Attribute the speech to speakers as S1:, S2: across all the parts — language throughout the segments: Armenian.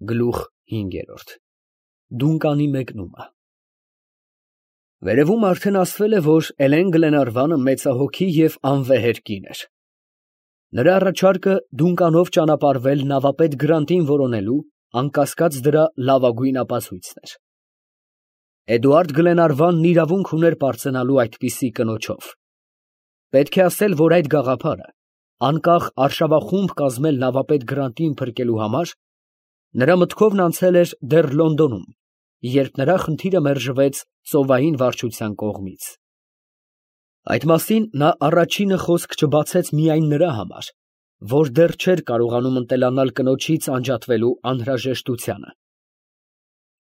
S1: Գլուխ 5 Դունկանի մեկնումը Վերևում արդեն ասվել է, որ Էլեն Գլենարվանը մեծահոգի և անվեհեր կին էր։ Նրա առաջարկը Դունկանով ճանապարհվել նավապետ Գրանտին որոնելու, անկասկած դրա լավագույն ապացույցն էր։ Էդուարդ Գլենարվանն իրավունք ուներ պարծենալու այդպիսի կնոջով։ Պետք է ասել, որ այդ գաղափարը, անկախ արշավախումբ կազմել նավապետ Գրանտին փրկելու համար, նրա մտքովն անցել էր դեռ Լոնդոնում, երբ նրա խնդիրը մերժվեց ծովային վարչության կողմից։ Այդ մասին նա առաջինը խոսք չբացեց միայն նրա համար, որ դեռ չէր կարողանում ընտելանալ կնոջից անջատվելու անհրաժեշտությանը։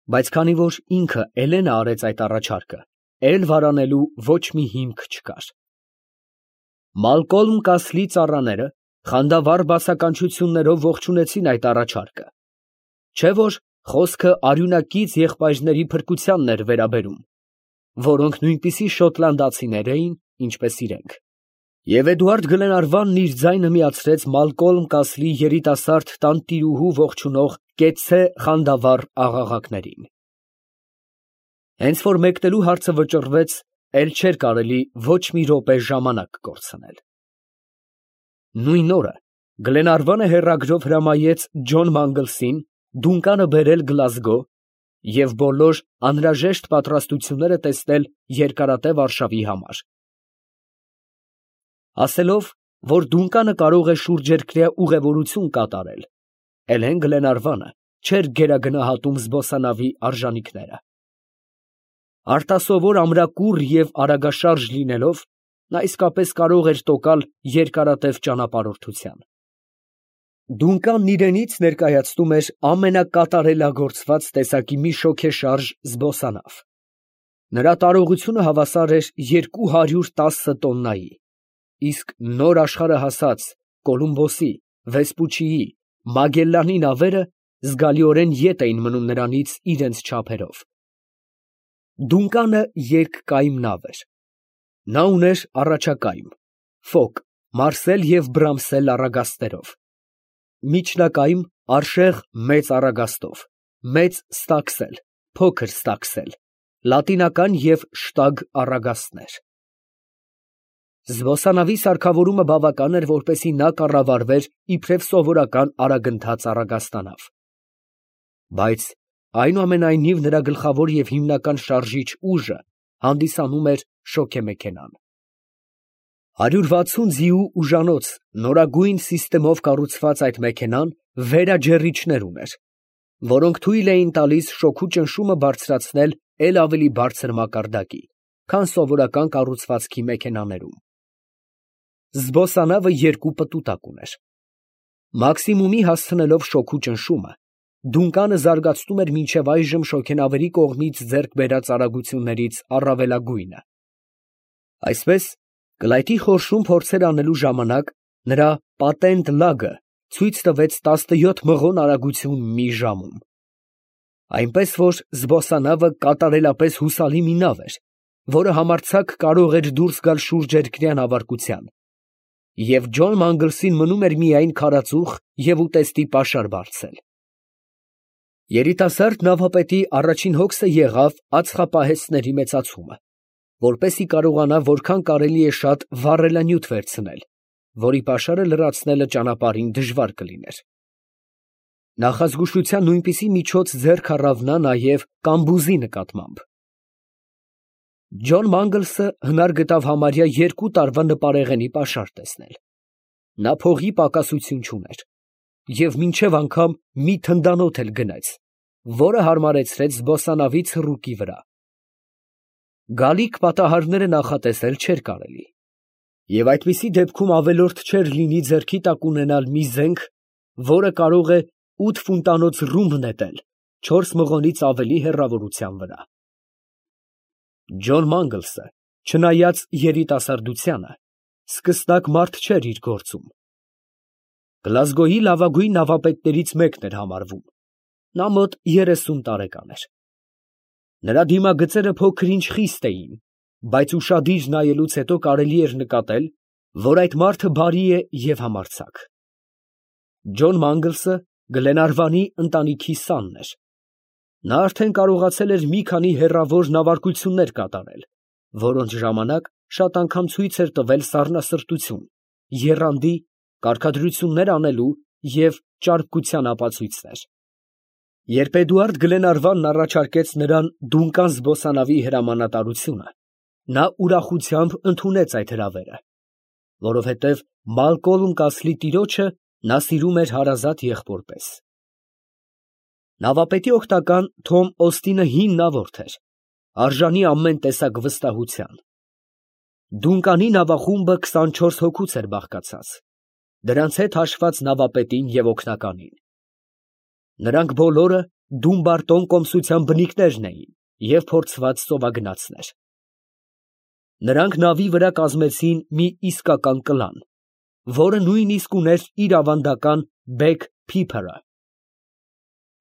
S1: Բայց քանի որ ինքը Էլենը արեց այդ առաջարկը, էլ վարանելու ոչ մի հիմք չկար։ Մալկոլմ Կասլի ծառաները խանդավառ բացականչություններով ողջունեցին այդ առաջարկը, չէ՞ որ խոսքը արյունակից եղբայրների փրկությանն էր վերաբերում, որոնք նույնպիսի շոտլանդացիներ էին, ինչպես իրենք։ Եվ Էդուարդ Գլենարվանն իր ձայնը միացրեց Մալկոլմ Կասլի երիտասարդ տանտիրուհու ողջունող կեցցե խանդավառ աղաղակներին։ Հենց որ մեկնելու հարցը վճռվեց, էլ չէր կարելի ոչ մի րոպե ժամանակ կորցնել։ Նույն օրը Գլենարվանը հեռագրով հրամայեց Ջոն Մանգլսին Դունկանը բերել Գլազգո և բոլոր անհրաժեշտ պատրաստությունները տեսնել երկարատև արշավի համար։ Ասելով, որ Դունկանը կարող է շուրջերկրյա ուղևորություն կատարել, Էլեն Գլենարվանը չէր գերագնահատում զբոսանավի արժանիքները։ Արտասովոր ամրակուռ և արագաշարժ լինելով, նա իսկապես կարող էր տոկալ երկարատև ճանապարհորդության։ Դունկանն իրենից ներկայացնում էր ամենակատարելագործված տեսակի մի շոգեշարժ զբոսանավ։ Նրա տարողությունը հավասար էր 210 տոննայի, իսկ նոր աշխարհահասած Կոլումբոսի, Վեսպուչիի, Մագելլանի նավերը զգալիորեն ետ էին մնում նրանից իրենց չափերով։ Դունկանը երկկայմ նավ էր։ Նա ուներ առաջակայմ, ֆոկ, մարսել և բրամսել առագաստերով, միջնակայմ, արշեղ մեծ առագաստով, մեծ ստակսել, փոքր ստակսել, լատինական և շտագ առագաստներ։ Զբոսանավի սարքավորումը բավական էր, որպեսզի նա կառավարվեր իբրև սովորական արագընթաց առագաստանավ։ Բայց այնուամենայնիվ նրա գլխավոր և հիմնական շարժիչ ուժը հանդիսանում էր շոգեմեքենան։ 160 ձիու ուժանոց նորագույն սիստեմով կառուցված այդ մեքենան վերաջեռիչներ ուներ, որոնք թույլ էին տալիս շոգու ճնշումը բարձրացնել էլ ավելի բարձր մակարդակի, քան սովորական կառուցվածքի մեքենաներում։ Զբոսանավը երկու պտուտակ ուներ։ Մաքսիմումի հասցնելով շոգու ճնշումը, Դունկանը զարգացնում էր մինչև այժմ շոգենավերի կողմից ձեռք բերած արագություններից առավելագույնը։ Այսպես, կլայթի խորշում փորձեր անելու ժամանակ նրա պատենտ լագը ցույց տվեց 17 մղոն արագություն մի ժամում։ Այնպես որ զբոսանավը կատարելապես հուսալի մի նավ էր, որը համարձակ կարող էր դուրս գալ շուրջերկրյա նավարկության, և Ջոն Մանգլսին մնում էր միայն քարածուխ և ուտեստի պաշար բարձել։ Երիտասարդ նավապետի առաջին հոգսը եղավ ածխապահեստների մեծացումը, որպեսզի կարողանա որքան կարելի է շատ վառելանյութ վերցնել, որի պաշարը լրացնելը ճանապարհին դժվար կլիներ։ Նախազգուշության նույնպիսի միջոց ձեռք առավ նա նաև կամբուզի նկատմամբ։ Ջոն Մանգլսը հնար գտավ համարյա 2 տարվա նպարեղենի պաշար տեսնել։ Նա փողի պակասություն չուներ և մինչև անգամ մի թնդանոթ էլ գնեց, որը հարմարեցրեց զբոսանավի ցռուկի վրա։ Գալիք պատահարները նախատեսել չէր կարելի, և այդպիսի դեպքում ավելորդ չէր լինի ձեռքի տակ ունենալ մի զենք, որը կարող է 8 ֆուտանոց ռումբ նետել 4 մղոնից ավելի հեռավորության վրա։ Ջոն Մանգլսը, չնայած երիտասարդությանը, սկսնակ մարդ չէր իր գործում։ Գլազգոյի լավագույն նավապետներից մեկն էր համարվում։ Նա մոտ 30 տարեկան էր։ Նրա դիմագծերը փոքր-ինչ խիստ էին, բայց ուշադիր նայելուց հետո կարելի էր նկատել, որ այդ մարդը բարի է և համարձակ։ Ջոն Մանգլսը Գլենարվանի ընտանիքի սանն էր։ Նա արդեն կարողացել էր մի քանի հեռավոր նավարկություններ կատարել, որոնց ժամանակ շատ անգամ ցույց էր տվել սառնասրտություն, եռանդի, կարգադրություններ անելու և ճարպկության ապացույցներ։ Երբ Էդուարդ Գլենարվանն առաջարկեց նրան Դունկան զբոսանավի հրամանատարությունը, նա ուրախությամբ ընդունեց այդ հրավերը, որովհետև Մալկոլմ Կասլի տիրոջը նա սիրում էր հարազատ եղբոր պես։ Նավապետի օգնական Թոմ Օստինը հին նավորդ էր, արժանի ամեն տեսակ վստահության։ Դունկանի նավախումբը 24 հոգուց էր բաղկացած, դրանց հետ հաշված նավապետին և օգնականին։ Նրանք բոլորը Դումբարտոն կոմսության բնիկներն էին և փորձված ծովագնացներ։ Նրանք նավի վրա կազմեցին մի իսկական կլան, որը նույնիսկ ուներ իր ավանդական Բեգ Փիփըրը։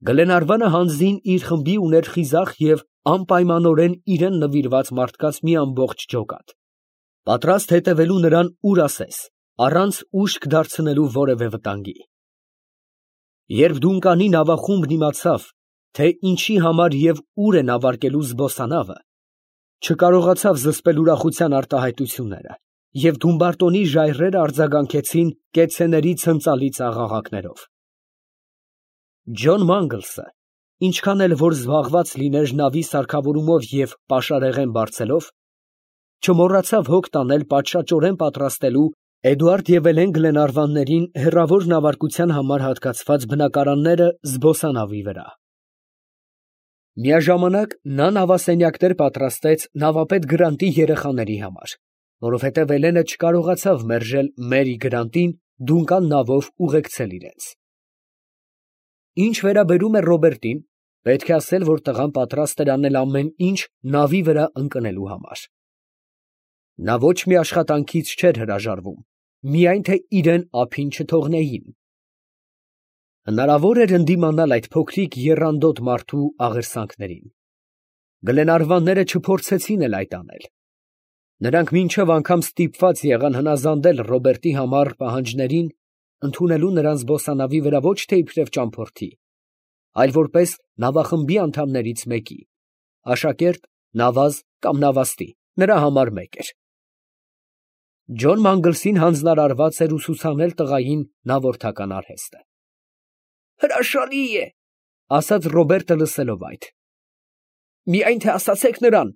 S1: Գլենարվանը հանձին իր խմբի ուներ խիզախ և անպայմանորեն իրան նվիրված մարդկանց մի ամբողջ ջոկատ, պատրաստ հետևելու նրան ուր ասես, առանց ուշք դարձնելու որևէ վտանգի։ Երբ Դունկանի նավախումբն իմացավ, թե ինչի համար և ուր է նավարկելու զբոսանավը, չկարողացավ զսպել ուրախության արտահայտությունները, և Դումբարտոնի ժայռերը արձագանքեցին կեցցեների ցնծալից աղաղակներով։ Ջոն Մանգլսը, ինչքան էլ որ զբաղված լիներ նավի սարքավորումով և պաշարեղեն բարձելով, չմոռացավ հոգ տանել պատշաճորեն պատրաստելու Էդուարդ և Էլեն Գլենարվաններին հեռավոր նավարկության համար հատկացված բնակարանները զբոսանավի վրա։ Միաժամանակ նա նավասենյակներ պատրաստեց նավապետ Գրանտի երեխաների համար, որովհետև Էլենը չկարողացավ մերժել Մերի Գրանտին Դունկան նավով ուղեկցել իրենց։ Ինչ վերաբերում էր Ռոբերտին, պետք է ասել, որ տղան պատրաստ էր անել ամեն ինչ նավի վրա ընկնելու համար։ Նա ոչ մի աշխատանքից չէր հրաժարվում, միայն թե իրան ափին չթողնեին։ Հնարավոր էր ընդդիմանալ այդ փոքրիկ եռանդոտ մարդու աղերսանքներին։ Գլենարվանները չփորձեցին էլ այդ անել։ Նրանք մինչև անգամ ստիպված եղան հնազանդել Ռոբերտի համար պահանջներին, ընդունելու նրան զբոսանավի վրա ոչ թե իբրև ճամփորդի, այլ որպես նավախմբի անդամներից մեկի, աշակերտ, նավազ կամ նավաստի, նրա համար մեկ էր։ Ջոն Մանգլսին հանձնարարված էր ուսուցանել տղային նավորդական արհեստը։ Հրաշալի է, ասաց Ռոբերտը լսելով այդ։ Միայն թե ասացեք նրան,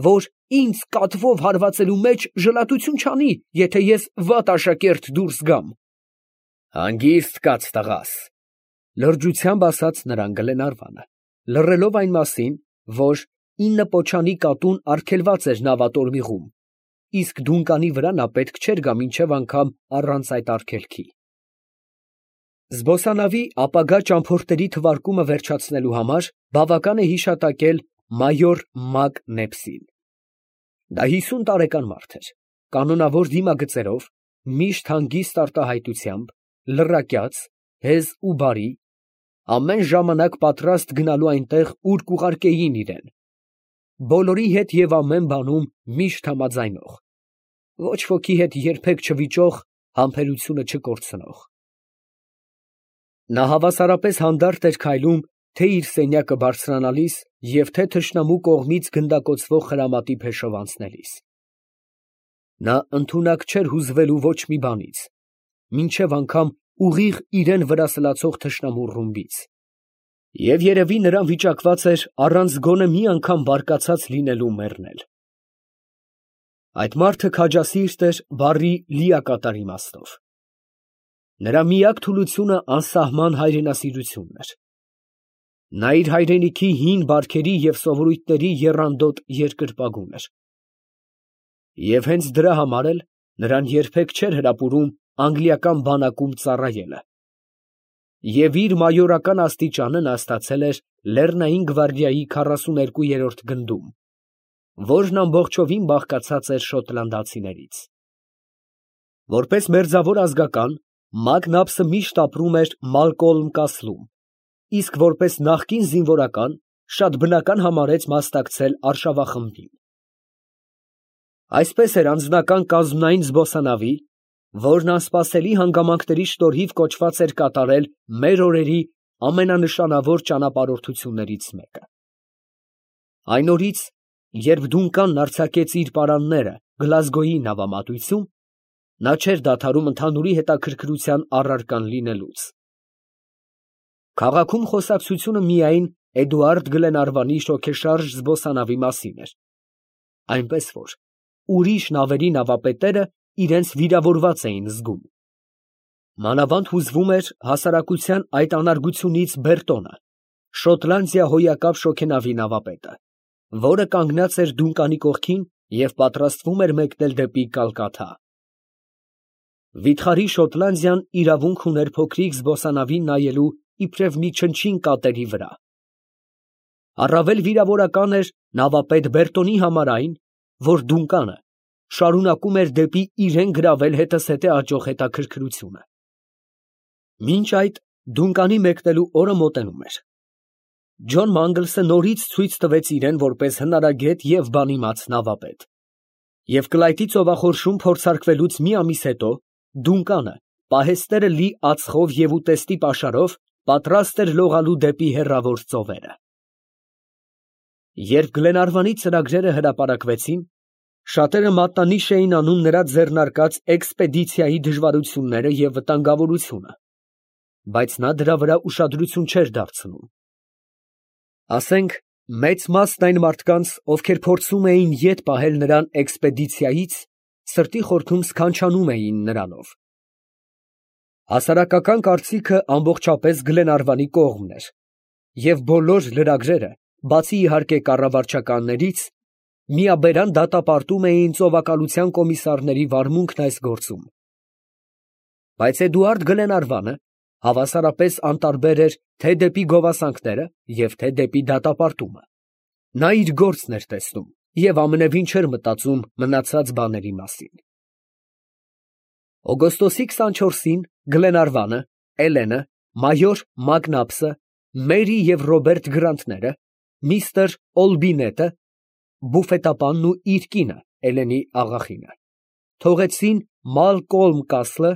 S1: որ ինձ կատվով հարվածելու մեջ ժլատություն չանի, եթե ես վատ աշակերտ դուրս գամ։ Հանգիստ կաց տղաս, լրջությամբ ասաց նրան Գլենարվանը, լռելով այն մասին, որ 9 պոչանի կատուն արգելված էր նավատորմիղում, իսկ Դունկանի վրա նա պետք չէր գա մինչև անգամ առանց այդ արգելքի։ Զբոսանավի ապագա ճամփորդների թվարկումը վերջացնելու համար բավական է հիշատակել մայոր Մակ Նեպսին։ Դա 50 տարեկան մարդ էր, կանոնավոր դիմագծերով, միշտ հանգիստ արտահայտությամբ, լռակյաց, հեզ ու բարի, ամեն ժամանակ պատրաստ գնալու այնտեղ, ուր կուղարկեին իրան, բոլորի հետ և ամեն բանում միշտ համաձայնող, ոչ ոքի հետ երբեք չվիճող, համբերությունը չկորցնող։ Նա հավասարապես հանդարտ էր քայլում թե իր սենյակը բարձրանալիս և թե թշնամու կողմից գնդակոծվող խրամատի փեշով անցնելիս։ Նա ընդունակ չէր հուզվելու ոչ մի բանից, մինչև անգամ ուղիղ իրան վրա սլացող թշնամու ռումբից։ Եվ երևի նրան վիճակված էր առանց գոնե մի անգամ բարկացած լինելու մեռնել։ Այդ մարդը քաջասիրտ էր բառի լիակատար իմաստով։ Նրա միակ թուլությունը անսահման հայրենասիրությունն էր։ Նա իր հայրենիքի հին բարքերի և սովորույթների եռանդոտ երկրպագուն էր։ Եվ հենց դրա համար էլ նրան երբեք չէր հրապուրում անգլիական բանակում ծառայելը։ Եվ իր մայորական աստիճանը նա ստացել էր Լեռնային գվարդիայի 42-րդ գնդում, որն ամբողջովին բաղկացած էր շոտլանդացիներից։ Որպես մերձավոր ազգական, Մակնապսը միշտ ապրում էր Մալկոլմ Կասլում, իսկ որպես նախկին զինվորական շատ բնական համարեց մասնակցել արշավախմբին։ Այսպես էր անձնական կազմնային զբոսանավի, որն անսպասելի հանգամանքների շնորհիվ կոչված էր կատարել մեր օրերի ամենանշանավոր ճանապարհորդություններից մեկը։ Այն օրից, երբ Դունկանն արձակեց իր պարանները Գլազգոյի նավամատույցում, նա չէր դադարում ընդհանուրի հետաքրքրության առարկան լինելուց։ Քաղաքում խոսակցությունը միայն Էդուարդ Գլենարվանի շոգեշարժ զբոսանավի մասին էր, այնպես որ ուրիշ նավերի նավապետերը իրենց վիրավորված էին զգում։ Մանավանդ հուզվում էր հասարակության այդ անարգությունից Բերտոնը, Շոտլանդիա հոյակապ շոգենավի նավապետը, որը կանգնած էր Դունկանի կողքին և պատրաստվում էր մեկնել դեպի Կալկաթա։ Վիթխարի Շոտլանդիան իրավունք ուներ փոքրիկ զբոսանավին նայելու իբրև մի չնչին կատերի վրա։ Առավել վիրավորական էր նավապետ Բերտոնի համար այն, որ Դունկանը շարունակում էր դեպի իրեն գրավել հետզհետե աճող հետաքրքրությունը։ Մինչ այդ Դունկանի մեկնելու օրը մոտենում էր։ Ջոն Մանգլսը նորից ցույց տվեց իրեն որպես հնարագետ և բանիմաց նավապետ, և Կլայտի ծովախորշում փորձարկվելուց մի ամիս հետո Դունկանը, պահեստերը լի ածխով և ուտեստի պաշարով, պատրաստ էր լողալու դեպի հեռավոր ծովերը։ Երբ Գլենարվանի ծրագրերը հրապարակվեցին, շատերը մատնանիշ էին անում նրա ձեռնարկած էքսպեդիցիայի դժվարությունները և վտանգավորությունը, բայց նա դրա վրա ուշադրություն չէր դարձնում։ Ասենք, մեծ մասն այն մարդկանց, ովքեր փորձում էին ետ պահել նրան էքսպեդիցիայից, սրտի խորքում սքանչանում էին նրանով։ Հասարակական կարծիքը ամբողջապես Գլենարվանի կողմն էր, և բոլոր լրագրերը, բացի իհարկե կառավարչականներից, միաբերան դատապարտում էին ծովակալության կոմիսարների վարմունքն այս գործում։ Բայց Էդուարդ Գլենարվանը հավասարապես անտարբեր էր թե դեպի գովասանքները և թե դեպի դատապարտումը։ Նա իր գործն էր տեսնում և ամենևին չէր մտածում մնացած բաների մասին։ Օգոստոսի 24-ին Գլենարվանը, Էլենը, մայոր Մակնաբսը, Մերի և Ռոբերտ Գրանտները, միստր Օլբինետը, բուֆետապանն ու իր կինը Էլենի աղախինը թողեցին Մալկոլմ Կասլը,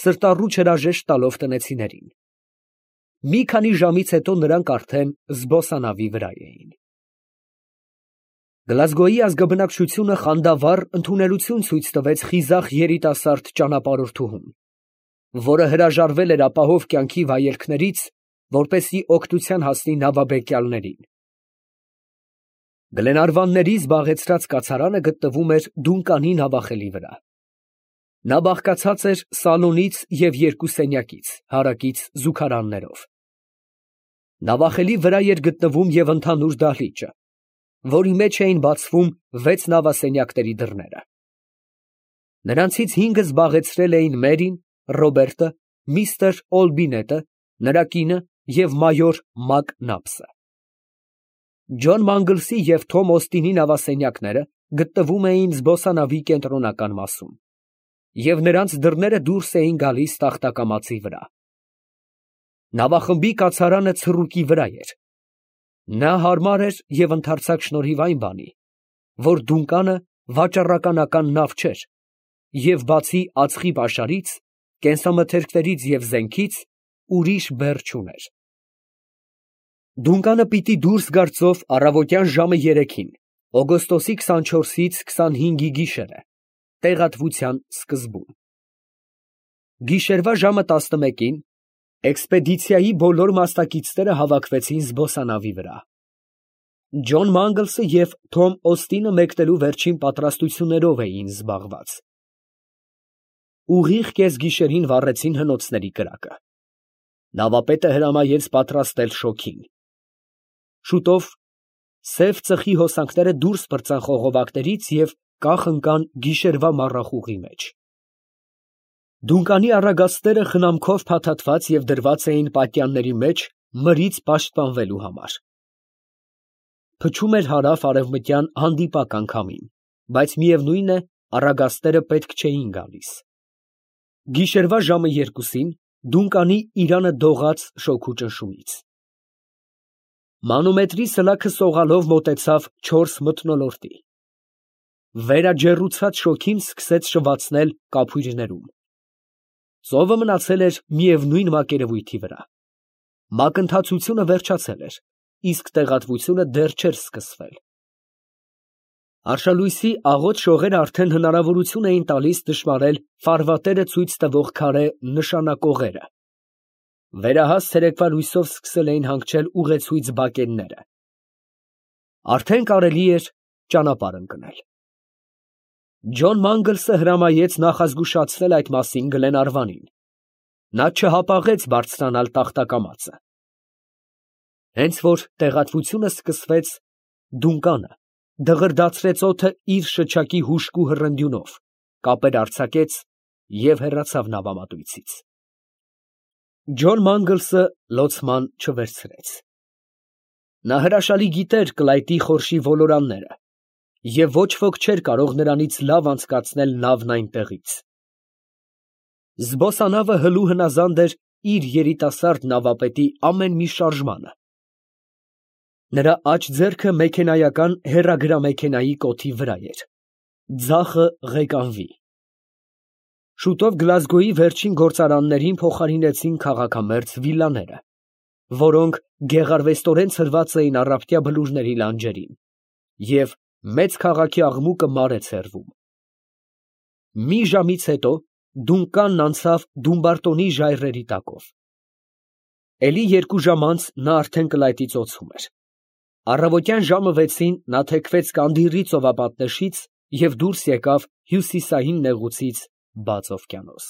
S1: սրտառուչ հրաժեշտ տալով տնեցիներին։ Մի քանի ժամից հետո նրանք արդեն զբոսանավի վրա էին։ Գլազգոյի ազգաբնակչությունը խանդավառ ընդունելություն ցույց տվեց խիզախ երիտասարդ ճանապարհորդուհուն, որը հրաժարվել էր ապահով կյանքի վայելքներից, որպեսզի օգնության հասնի նավաբեկյալներին։ Գլենարվանների զբաղեցրած կացարանը գտնվում էր Դունկանի նավախելի վրա։ Նա բաղկացած էր սալոնից և երկու սենյակից, հարակից զուգարաններով։ Նավախելի վրա էր գտնվում և ընդհանուր դահլիճը, որի մեջ էին բացվում 6 նավասենյակների դռները։ Նրանցից 5-ը զբաղեցրել էին Մերին, Ռոբերտը, միստր Օլբինետը, նրա կինը և մայոր Մակնաբսը։ Ջոն Մանգլսի և Թոմ Օստինի նավասենյակները գտնվում էին զբոսանավի կենտրոնական մասում, և նրանց դռները դուրս էին գալիս տախտակամածի վրա։ Նավախմբի կացարանը ցռուկի վրա էր։ Նա հարմար էր և ընդարձակ շնորհիվ այն բանի, որ Դունկանը վաճառականական նավ չէր և բացի ածխի պաշարից, կենսամթերքներից և զենքից ուրիշ բեռ չուներ։ Դունկանը պիտի դուրս գար ծով առավոտյան ժամը 3-ին, օգոստոսի 24-ից 25-ի գիշերը, տեղատվության սկզբում։ Գիշերվա ժամը 11-ին էքսպեդիցիայի բոլոր մասնակիցները հավաքվեցին զբոսանավի վրա։ Ջոն Մանգլսը և Թոմ Օստինը մեկնելու վերջին պատրաստություններով էին զբաղված։ Ուղիղ կեսգիշերին վառեցին հնոցների կրակը։ Նավապետը հրամայեց պատրաստել շոգին։ Շուտով սև ծխի հոսանքները դուրս պրծան խողովակներից և կախ ընկան գիշերվա մառախուղի մեջ։ Դունկանի առագաստները խնամքով փաթաթված և դրված էին պատյանների մեջ մրից պաշտպանվելու համար։ Փչում էր հարավ֊արևմտյան հանդիպական քամին, բայց միևնույն է, առագաստները պետք չէին գալիս։ Գիշերվա ժամը 2-ին Դունկանի իրանը դողաց շոգու ճնշումից։ Մանոմետրի սլաքը սողալով մոտեցավ 4 մթնոլորտի։ վերաջեռուցած շոգին սկսեց շվացնել կափույրներում։ Ծովը մնացել էր միևնույն մակերևույթի վրա։ Մակընթացությունը վերջացել էր, իսկ տեղատվությունը դեռ չէր սկսվել։ Արշալույսի աղոտ շողերը արդեն հնարավորություն էին տալիս դժվարել ֆարվատերը ցույց տվող քարե նշանակողերը։ Վերահաս ցերեկվա լույսով սկսել էին հանգչել ուղեցույց բակենները։ Արդեն կարելի էր ճանապարհ ընկնել։ Ջոն Մանգլսը հրամայեց նախազգուշացնել այդ մասին Գլենարվանին։ Նա չհապաղեց բարձրանալ տախտակամածը։ Հենց որ տեղատվությունը սկսվեց, Դունկանը դղրդացրեց օդը իր շչակի հուժկու հռնդյունով, կապեր արձակեց և հեռացավ նավամատույցից։ Ջոն Մանգլսը լոցման չվերցրեց։ Նա հրաշալի գիտեր կլայտի խորշի ոլորանները, և ոչ ոք չէր կարող նրանից լավ անցկացնել նավն այնտեղից։ Զբոսանավը հլու հնազանդ էր իր երիտասարդ նավապետի ամեն մի շարժմանը։ Նրա աջ ձեռքը մեքենայական հեռագրամեքենայի կոթի վրա էր, ձախը ղեկանվի։ Շուտով Գլազգոյի վերջին գործարաններին փոխարինեցին քաղաքամերձ վիլլաները, որոնք գեղարվեստորեն ցրված էին առափտյա բլուրների լանջերին, և մեծ քաղաքի աղմուկը մարեց հեռվում։ Մի ժամից հետո Դունկանն անցավ Դումբարտոնի ժայռերի տակով։ Էլի 2 ժամ անց նա արդեն կլայտի ծոցում էր։ Առավոտյան ժամը 6-ին նա թեքվեց Կանդիռի ծովապատնեշից և դուրս եկավ հյուսիսային նեղուցից բաց օվկիանոս։